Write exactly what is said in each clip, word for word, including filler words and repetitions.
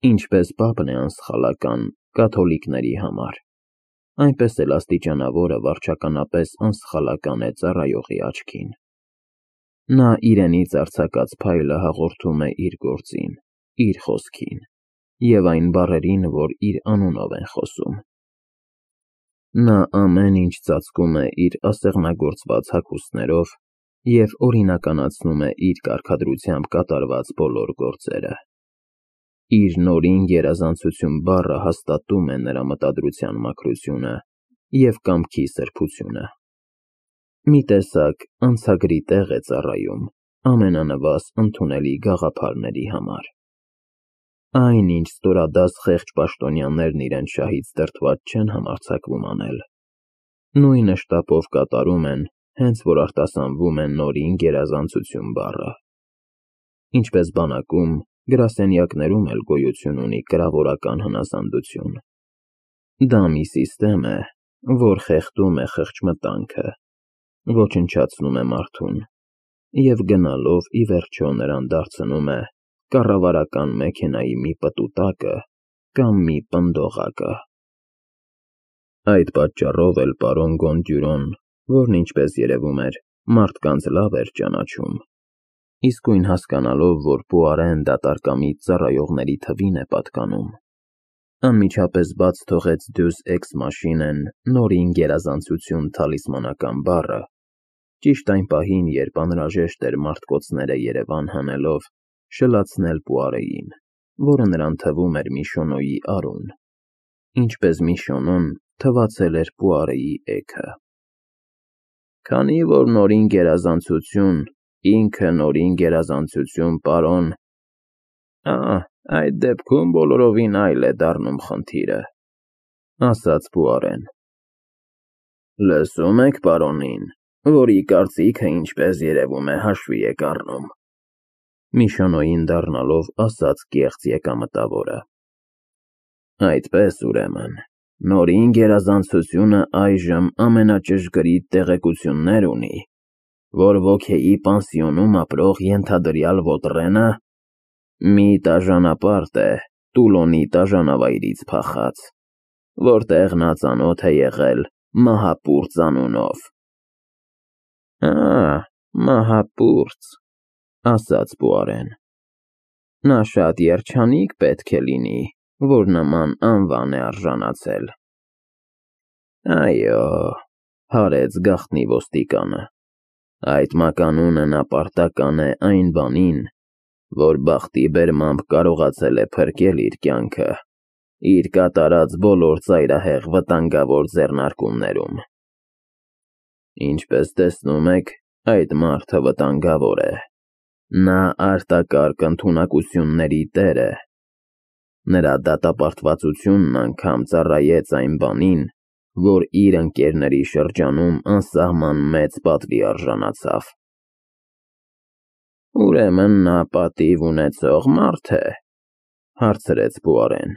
Ինչպես պապն է անսխալական կաթոլիկների համար, այնպես էլ աստիճանավորը վարչականապես անսխալական է ծառայողի աչքին։ Նա իրենից արձակած փայլը հաղորդում է իր գործին, իր խոսքին և այն բառերին, որ իր անունով են խոսում։ Նա ամեն ինչ ծածկում է իր ասեղնագործված հագուստներով և օրինականացնում է իր կարգադրությամբ կատարված բոլոր գործերը։ Իր նորին գերազանցություն բառը հաստատում է նրա մտադրության մաքրությունը և կամքի սրբությունը։ Մի տեսակ անցագրի տեղ է ծառայում ամենանվազ ընդունելի գաղափարների համար։ Այն, ինչ ստորադաս խեղճ պաշտոնյաներն իրենց շահից դրդված չեն համարձակվում անել, նույնը շտապով կատարում են, հենց որ արտասանվում է նորին գերազանցություն բառը։ Ինչպես բանակում, գրասենյակներում էլ գոյություն ունի կրավորական հնասանդություն։ Դա մի սիստեմ է, որ խեղդում է խղճմտանքը, ոչնչացնում է մարդուն և գնալով ի վերջո նրան դարձնում է կառավարական մեքենայի մի պտուտակը կամ մի պնդողակը։ Այդ պատճառով էլ պարոն Գոնդյուրոն, որն ինչպես երևում էր, մարդկանց լավ էր ճանաչում, իսկույն հասկանալով, որ Պուարեն դատարկամից ծառայողների թվին է պատկանում, անմիջապես բաց թողեց Դյուս էքս մաշինեն նորին գերազանցություն թալիսմանական բառը, ճիշտ այն պահին, երբ անհրաժեշտ էր մարտկոցները Երևան հանելով, շլացնել Պուարեին, որը նրան թվում էր Միշոնոյի արուն, ինչպես Միշոնոն թվացել էր Պուարեի էգը։ Քանի որ նորին գերազանցություն, ինքը նորին գերազանցություն, պարոն… Ա, այդ դեպքում բոլորովին այլ է դառնում խնդիրը, ասաց Պուարեն։ Լսում եք պարոնին, որի կարծիքը, ինչպես երևում է, հաշվի եք առնում, Միշոնոյին դառնալով ասաց կեղծ եկամտավորը։ Այդպես, ուրեմն, նորին գերազանցությունը այժմ ամենաճշգրիտ տեղեկություններ ունի, որ Ոքեի պանսիոնում ապրող ենթադրյալ Ոտրենը մի տաժանապարտ է Տուլոնի տաժանավայրից փախած, որտեղ նա ծանոթ է եղել Մահապուրծ անունով։ Ա, Մահապուրծ, ասաց Պուարեն։ Նա շատ երջանիկ պետք է լինի, որ նման անվան է արժանացել։ Այո, հարեց գաղտնի ոստիկանը, այդ մականունը նա պարտական է այն բանին, որ բախտի բերմամբ կարողացել է փրկել իր կյանքը իր կատարած բոլոր ծայրահեղ վտանգավոր ձեռնարկումներում։ Ինչպես տեսնում եք, այդ մարդը վտանգավոր է, նա արտակարգ ընդունակությունների տեր է, նրա դատապարտվածությունն անգամ ծառայեց այն բանին, որ իր ընկերների շրջանում անսահման մեծ պատվի արժանացավ։ Ուրեմն նա պատիվ ունեցող մարդ է, հարցրեց Պուարեն։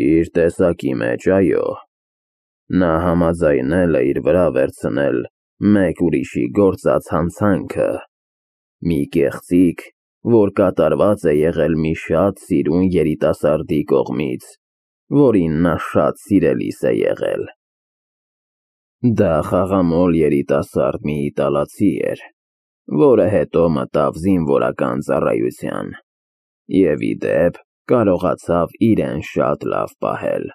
Իր տեսակի մեջ, այո, նա համաձայնել է իր վրա վերցնել մեկ ուրիշի գործած հանցանքը, մի կեղծիք, որ կատարված է եղել մի շատ սիրուն երիտասարդի կողմից, որին նա շատ սիրելիս է եղել։ Դա խաղամոլ երիտասարդ մի իտալացի էր, որը հետո մտավ զինվորական ծառայության և, ի դեպ, կարողացավ իրեն շատ լավ պահել։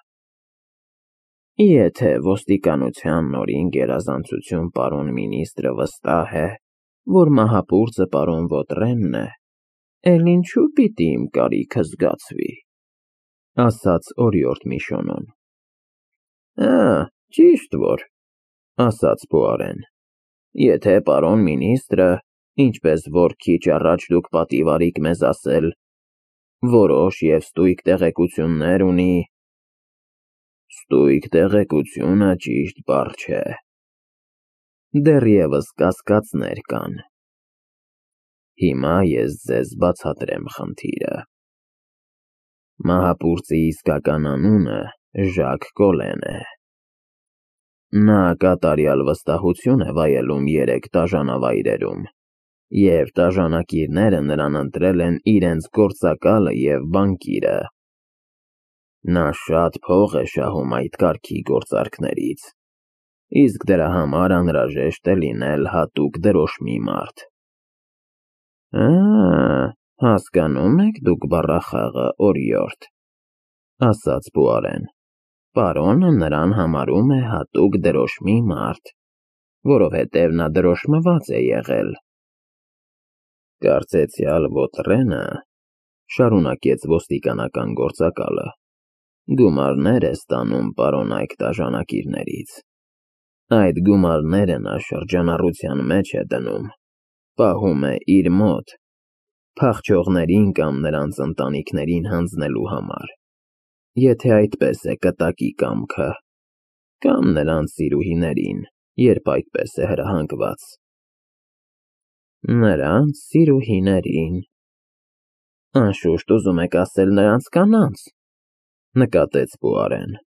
Եթե ոստիկանության նորին գերազանցություն պարոն մինիստրը վստահ է, որ Մահապուրծը պարոն Ոտրենն է, էլ ինչու պիտի իմ կարիքը զգացվի, ասաց օրիորդ Միշոնոն։ Ա, ճիշտ որ, ասաց Պուարեն, եթե պարոն մինիստրը, ինչպես որ քիչ առաջ դուք պատիվ արիք մեզ ասել, որոշ և ստույգ տեղեկություններ ունի… Ստույգ տեղեկությունը ճիշտ բառ չէ, դեռևս կասկածներ կան։ Հիմա ես ձեզ բացատրեմ խնդիրը։ Մահապուրծի իսկական անունը Ժակ Կոլեն է։ Նա կատարյալ վստահություն է վայելում երեք տաժանավայրերում և տաժանակիրները նրան ընտրել են իրենց գործակալը և բանկիրը։ Նա շատ փող է շահում այդ կարգի գործարքներից, իսկ դրա համար անհրաժեշտ է լինել հատուկ դրոշմի մարդ։ Ա, հասկանում եք դուք բառախաղը, օրիորդ, ասաց Պուարեն։ Պարոնը նրան համարում է հատուկ դրոշմի մարդ, որովհետև նա դրոշմված է եղել։ Կարծեցյալ Ոտրենը, շարունակեց ոստիկանական գործակալը, գումարներ է ստանում պարոն այդ տաժանակիրներից։ Այդ գումարները նա շրջանառության մեջ է դնում, պահում է իր մոտ, փախչողներին կամ նրանց ընտանիքներին հանձնելու համար, եթե այդպես է կտակի կամքը, կամ նրանց սիրուհիներին, երբ այդպես է հրահանգված։ Նրանց սիրուհիներին, անշուշտ ուզում եք ասել նրանց կանանց, նկատեց Պուարեն։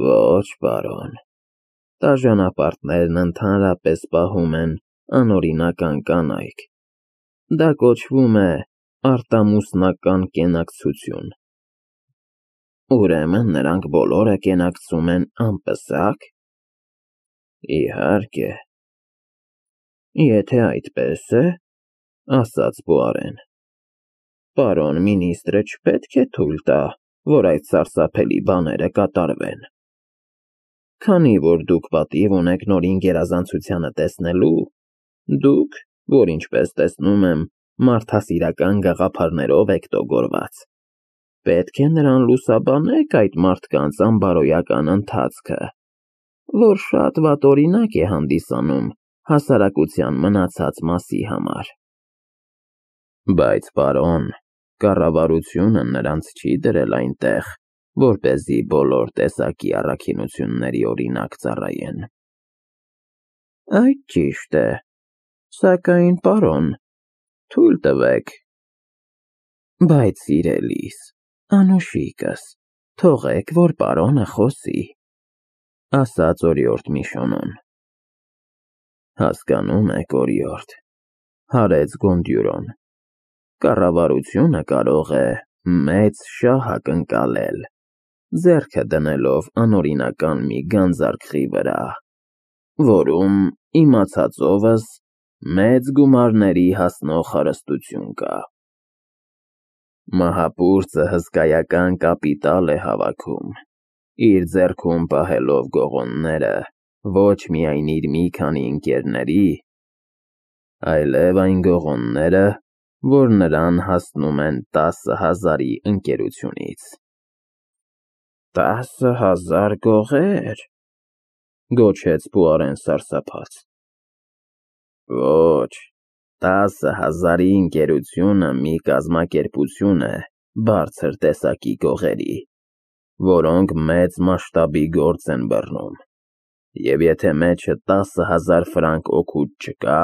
Ոչ, պարոն, տաժանապարտներն ընդհանրապես պահում են անօրինական կանայք, դա կոչվում է արտամուսնական կենակցություն։ Ուրեմն նրանք բոլորը կենակցում են անպսակ։ Իհարկե։ Եթե այդպես է, ասաց Պուարեն, պարոն մինիստրը չպետք է թույլ տա, որ այդ սարսափելի բաները կատարվեն։ Քանի որ դուք պատիվ ունեք նորին գերազանցությանը տեսնելու, դուք, որ ինչպես տեսնում եմ, մարդասիրական գաղափարներով եք տոգորված, պետք է նրան լուսաբանեք այդ մարդկանց անբարոյական ընթացքը, որ շատ վատօրինակ է հանդիսանում հասարակության մնացած մասի համար։ Բայց, պարոն, կառավարությունը նրանց չի դրել այնտեղ, որպեսզի բոլոր տեսակի առաքինությունների օրինակ ծառայեն։ Այդ ճիշտ է, սակայն, պարոն, թույլ տվեք։ Բայց, սիրելիս, անուշիկս, թողեք, որ պարոնը խոսի, ասաց օրիորդ Միշոնոն։ Հասկանում եք, օրիորդ, հարեց Գոնդյուրոն, կառավարությունը կարող է մեծ շահ ակնկալել, ձեռքը դնելով անօրինական մի գանձարքղի վրա, որում, իմացածովս, մեծ գումարների հասնող հարստություն կա։ Մահապուրծը հսկայական կապիտալ է հավաքում, իր ձեռքում պահելով գողոնները ոչ միայն իր մի քանի ընկերների, այլև այն գողոնները, որ նրան հասնում են տասը հազարի ընկերությունից։ Տասը հազար գողե՞ր, գոչեց Պուարեն սարսափած։ Ոչ, տասը հազարի ընկերությունը մի կազմակերպություն է բարձր տեսակի գողերի, որոնք մեծ մասշտաբի գործ են բռնում, և եթե մեջը տասը հազար ֆրանկ օգուտ չկա,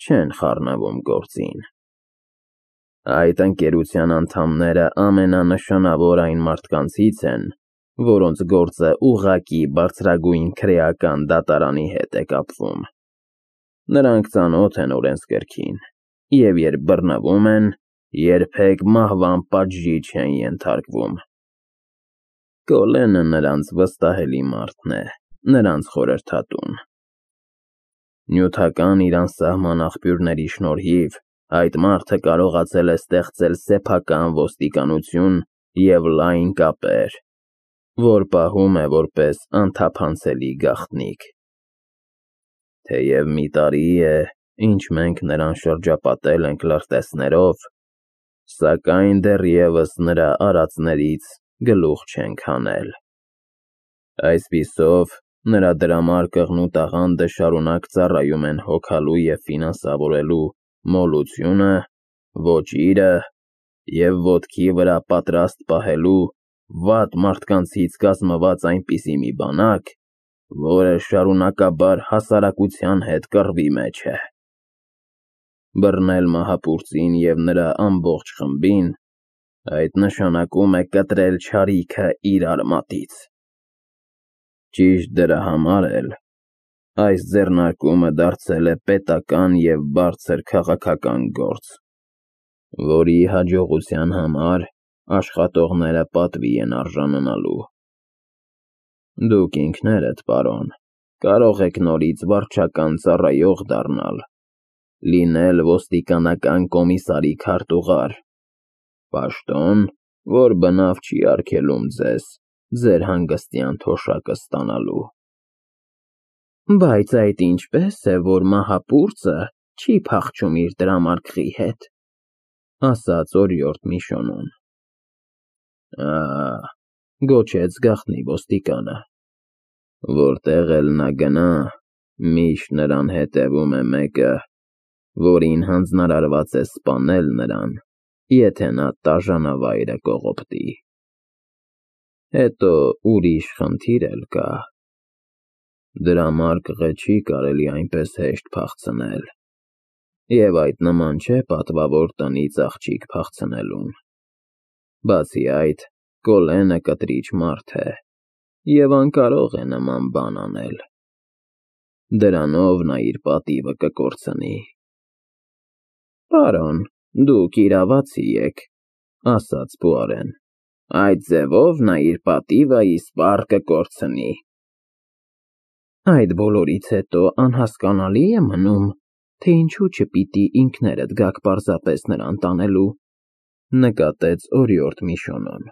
չեն խառնվում գործին։ Այդ ընկերության անդամները ամենանշանավոր այն մարդկանցից են, որոնց գործը ուղղակի բարձրագույն քրեական դատարանի հետ է կապվում։ Նրանք ծանոթ են օրենսգրքին, և երբ բռնվում են, երբեք մահվան պատժի չեն ենթարկվում։ Կոլենը նրանց վստահելի մարդն է, նրանց խորհրդատուն։ Նյութական իր անսահման աղբյուրների շնորհիվ այդ մարդը կարողացել է ստեղծել սեփական ոստիկանություն և լայն կապեր, որ պահում է որպես անթափանցելի գաղտնիք։ Թեև մի տարի է, ինչ մենք նրան շրջապատել ենք լրտեսներով, սակայն դեռևս նրա արածներից գլուխ չենք հանել։ Այսպիսով, նրա դրամար կղնու տաղանդը շարունակ ծառայում են հոգալու և ֆինանսավորելու մոլությունը, ոճիրը և ոտքի վրա պատրաստ պահելու վատ մարդկանցից կազմված այնպիսի մի բանակ, որը շարունակաբար հասարակության հետ կռվի մեջ է։ Բռնել մահապուրծին և նրա ամբողջ խմբին, այդ նշանակում է կտրել չարիքը իր արմատից։ Ճիշտ դրա համար էլ, Այս ձեռնարկումը դարձել է պետական և բարձր քաղաքական գործ, որի հաջողության համար աշխատողները պատվի են արժանանալու։ Դուք ինքներդ, պարոն, կարող եք նորից վարչական ծառայող դառնալ, լինել ոստիկանական կոմիսարի քարտուղար, պաշտոն, որ բնավ չի արգելում ձեզ ձեր հանգստյան թոշակը ստանալու։ Բայց այդ ինչպե՞ս է, որ մահապուրծը չի փախչում իր դրամարկղի հետ, ասաց օրիորդ Միշոնոն։ Ա՜, գոչեց գաղտնի ոստիկանը, որտեղ էլ նա գնա, միշտ նրան հետևում է մեկը, որին հանձնարարված է սպանել նրան, եթե նա տաժանավայրը կողոպտի։ Հետո ուրիշ խնդիր էլ կա. դրամարկղը չի կարելի այնպես հեշտ փախցնել, և այդ նման չէ պատվավոր տնից աղջիկ փախցնելուն։ Բացի այդ, Կոլենը կտրիչ մարդ է և անկարող է նման բան անել։ Դրանով նա իր պատիվը կկորցնի։ Պարոն, դուք իրավացի եք, ասաց Պուարեն, այդ ձևով նա իր պատիվը իսպառ կկորցնի։ Այդ բոլորից հետո անհասկանալի է մնում, թե ինչու չպիտի ինքներդ գաք պարզապես նրան տանելու, նկատեց օրիորդ Միշոնոն։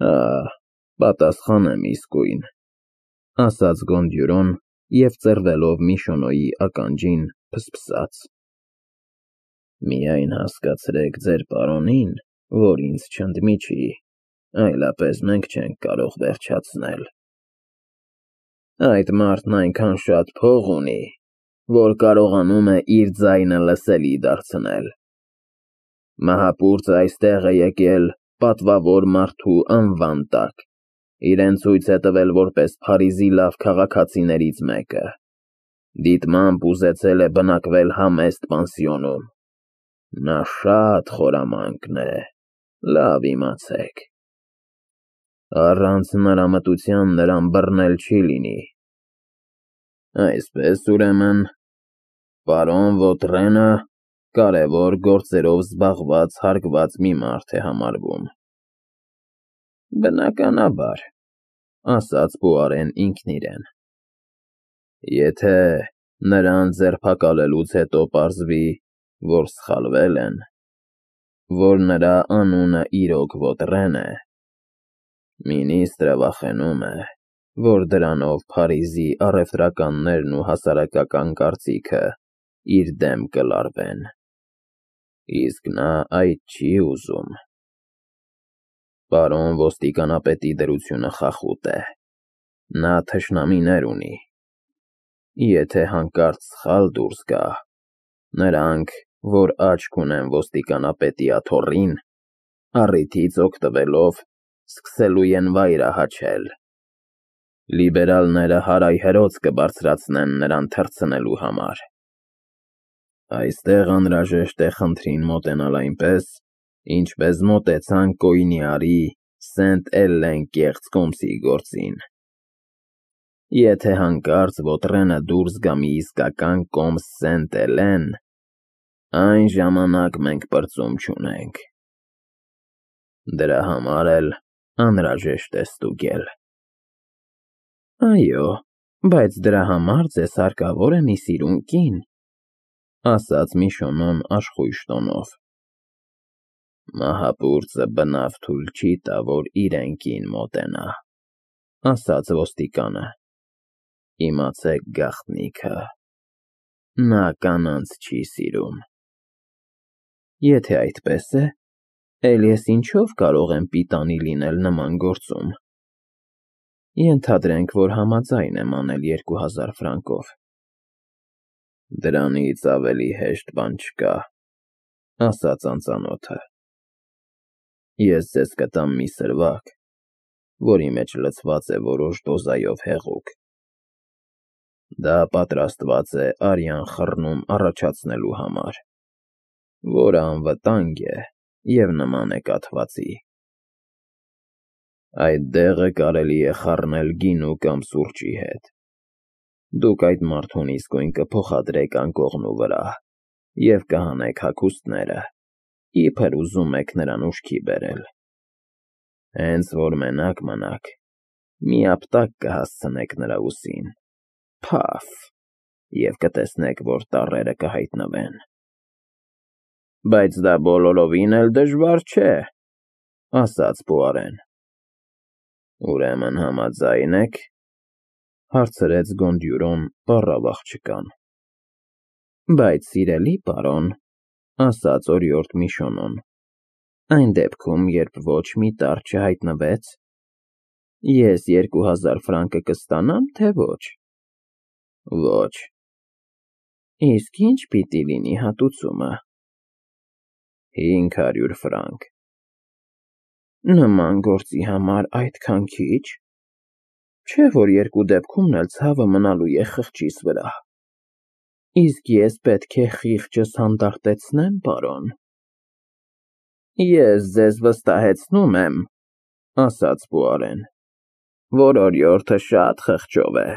Ա, պատասխանեմ իսկույն, ասաց Գոնդյուրոն և ծռվելով Միշոնոյի ականջին փսփսաց։ Միայն հասկացրեք ձեր պարոնին, որ ինձ չընդմիջի, այլապես մենք չենք կարող վերջացնել։ Այդ մարդն այնքան շատ փող ունի, որ կարողանում է իր ձայնը լսելի դարձնել։ Մահապուրծը այստեղ է եկել պատվավոր մարդու անվան տակ, իրեն ցույց է տվել որպես Փարիզի լավ քաղաքացիներից մեկը, դիտմամբ ուզեցել է բնակվել համեստ պանսիոնում։ Նա շատ խորամանկն է, լավ իմացեք։ Առանց նրա մտության նրան բռնել չի լինի։ Այսպես, ուրեմն, պարոն Վոտրենը կարևոր գործերով զբաղված հարգված մի մարդ է համարվում։ Բնականաբար, ասաց Պուարեն ինքն իրեն։ Եթե նրան ձերբակալելուց հետո պարզվի, որ սխալվել են, որ նրա անունը իրոք Վոտրեն է, մինիստրը վախենում է, որ դրանով Փարիզի առևտրականներն ու հասարակական կարծիքը իր դեմ կլարվեն, իսկ նա այդ չի ուզում։ Պարոն ոստիկանապետի դրությունը խախուտ է, նա թշնամիներ ունի։ Եթե հանկարծ սխալ դուրս գա, նրանք, որ աչք ունեն ոստիկանապետի աթոռին, առիթից օգտվելով, սկսելու են վայրահաչել։ Լիբերալները հարայհրոց կբարձրացնեն նրան թռցնելու համար։ Այստեղ անհրաժեշտ է խնդրին մոտենալ այնպես, ինչպես մոտեցան Կոյնիարի Սենտ֊Էլեն կեղծ կոմսի գործին։ Եթե հանկարծ Վոտրենը դուրս գա մի իսկական կոմս Սենտ֊Էլեն, այն ժամանակ մենք պրծում չունենք։ Դրա համար էլ անհրաժեշտ է ստուգել։ Այո, բայց դրա համար ձեզ հարկավոր է մի սիրուն կին, ասաց Միշոնոն աշխույժ տոնով։ Մահապուրծը բնավ թույլ չի տա, որ իրեն կին մոտենա, ասաց ոստիկանը։ Իմացեք գաղտնիքը, նա կանանց չի սիրում։ Եթե այդպես է, էլ ես ինչով կարող եմ պիտանի լինել նման գործում։ Ենթադրենք, որ համաձայն եմ անել երկու հազար ֆրանկով։ Դրանից ավելի հեշտ բան չկա, ասաց անծանոթը։ Ես ձեզ կտամ մի սրվակ, որի մեջ լցված է որոշ դոզայով հեղուկ։ Դա պատրաստված է արյան խռնում առաջացնելու համար, որը անվտանգ է և նման է կաթվածի։ Այդ դեղը կարելի է խառնել գինու կամ սուրճի հետ։ Դուք այդ մարդուն իսկույն կփոխադրեք անկողնու վրա և կհանեք հագուստները, իբր ուզում եք նրան ուշքի բերել։ Հենց որ մենակ մնաք, մի ապտակ կհասցնեք նրա ուսին, փաֆ, և կտեսնեք, որ տառերը կհայտնվեն։ Բայց դա բոլորովին էլ դժվար չէ, ասաց Պուարեն։ Ուրեմն համաձա՞յն եք, հարցրեց Գոնդյուրոն պառավ աղջկան։ Բայց սիրելի պարոն, ասաց օրիորդ Միշոնոն, այն դեպքում, երբ ոչ մի տառ չհայտնվեց, ես երկու հազար ֆրանկը կստանա՞մ, թե ոչ։ Ոչ։ Իսկ ի՞նչ պիտի լինի հատուցումը։ Հինգ հարյուր ֆրանկ։ Նման գործի համար այդքան քիչ։ Չէ՞ որ երկու դեպքումն էլ ցավը մնալու է խղճիս վրա։ Իսկ ես պետք է խիղճս հանդարտեցնե՞մ, պարոն։ Ես ձեզ վստահեցնում եմ, ասաց Պուարեն, որ օրիորդը շատ խղճով է,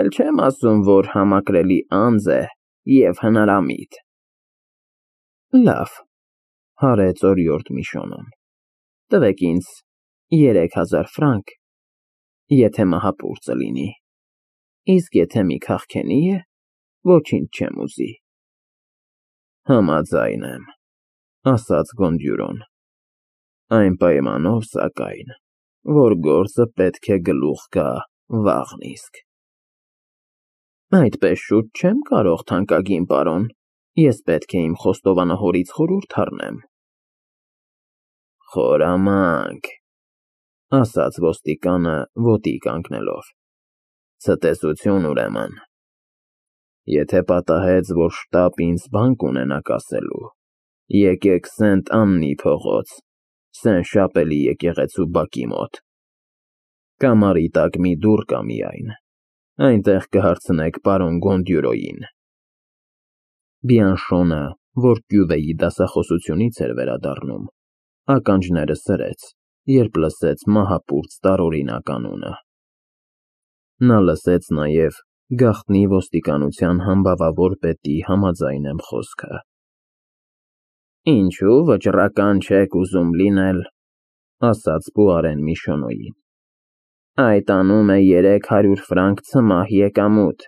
էլ չեմ ասում, որ համակրելի անձ է և հնարամիտ։ Լավ, հարեց օրիորդ Միշոնոն, տվեք ինձ երեք հազար ֆրանկ, եթե մահապուրծը լինի, իսկ եթե մի քաղքենի է, ոչինչ չեմ ուզի։ Համաձայն եմ, ասաց Գոնդյուրոն, այն պայմանով, սակայն, որ գործը պետք է գլուխ գա վաղն իսկ։ Այդպես շուտ չեմ կարող, թանկագին պարոն, ես պետք է իմ խոստովանահորից խորհուրդ առնեմ։ Խորամանկ, ասաց ոստիկանը ոտի կանգնելով, ցտեսություն ուրեմն։ Եթե պատահեց, որ շտապ ինձ բանկ ունենաք ասելու, եկեք Սենտ Աննի փողոց, Սեն Շապելի եկեղեցու բակի մոտ։ Կամարի տակ մի դուռ կա միայն, այնտեղ կհարցնեք պարոն Գոնդյուրոյին։ Բիանշոնը, որ կյուվեի դասախոսությունից էր վերադառնում, ականջները սրեց, երբ լսեց մահապուրծ տարօրինակ անունը։ Նա լսեց նաև գաղտնի ոստիկանության համբավավոր պետի համաձայն եմ խոսքը։ Ինչու վճռական չեք ուզում լինել, ասաց Պուարեն Միշոնոյին։ Այդ անում է երեք հարյուր ֆրանկ ցմահ եկամուտ։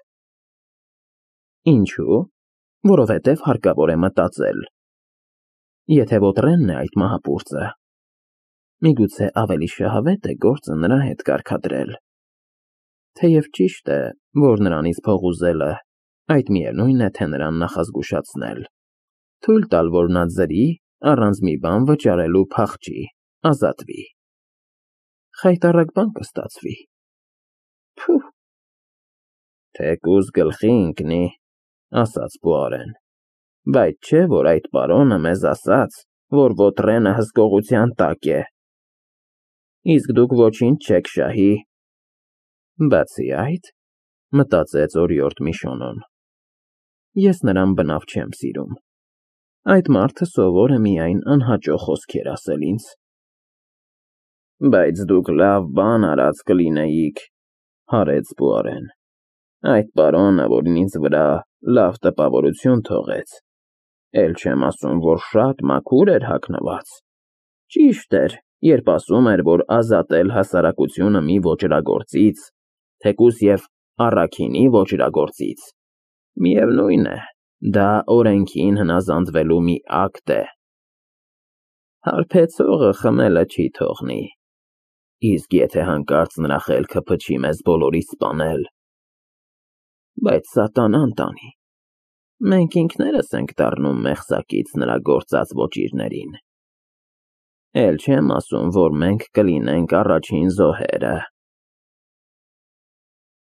Ինչու՞։ Որովհետև հարկավոր է մտածել։ Եթե Վոտրենն է այդ մահապուրծը, միգուցե ավելի շահավետ է գործը նրա հետ կարգադրել։ Թեև ճիշտ է, որ նրանից փող ուզելը, այդ միևնույն է, թե նրան նախազգուշացնել, թույլ տալ, որ նա ձրի, առանց մի բան վճարելու փախչի, ազատվի։ Խայտառակ բան կստացվի։ Փուհ։ Թեկուզ գլխի ընկնի, ասաց Պուարեն, բայց չէ, որ այդ պարոնը մեզ ասաց, որ Վոտրենը հսկողության տակ է։ Իսկ դուք ոչինչ չեք շահի։ Բացի այդ, մտածեց օրիորդ Միշոնոն, ես նրան բնավ չեմ սիրում։ Այդ մարդը սովոր է միայն անհաճո խոսքեր ասել ինձ։ Բայց դուք լավ բան արած կլինեիք, հարեց Պուարեն։ Այդ պարոնը, որ ինձ վրա լավ տպավորություն թողեց, էլ չեմ ասում, որ շատ մաքուր էր հագնված։ Ճիշտ էր, երբ ասում էր, որ ազատել հասարակությունը մի ոճրագործից, թեկուզ և առաքինի ոճրագործից, միևնույն է, դա օրենքին հնազանդվելու մի ակտ է։ Հարբեցողը խմելը չի թողնի, իսկ եթե հանկարծ նրա խելքը փչի մեզ բոլորիս սպանել։ Բայց սատանան տանի, մենք ինքներս ենք դառնում մեղսակից նրա գործած ոճիրներին։ Էլ չեմ ասում, որ մենք կլինենք առաջին զոհերը։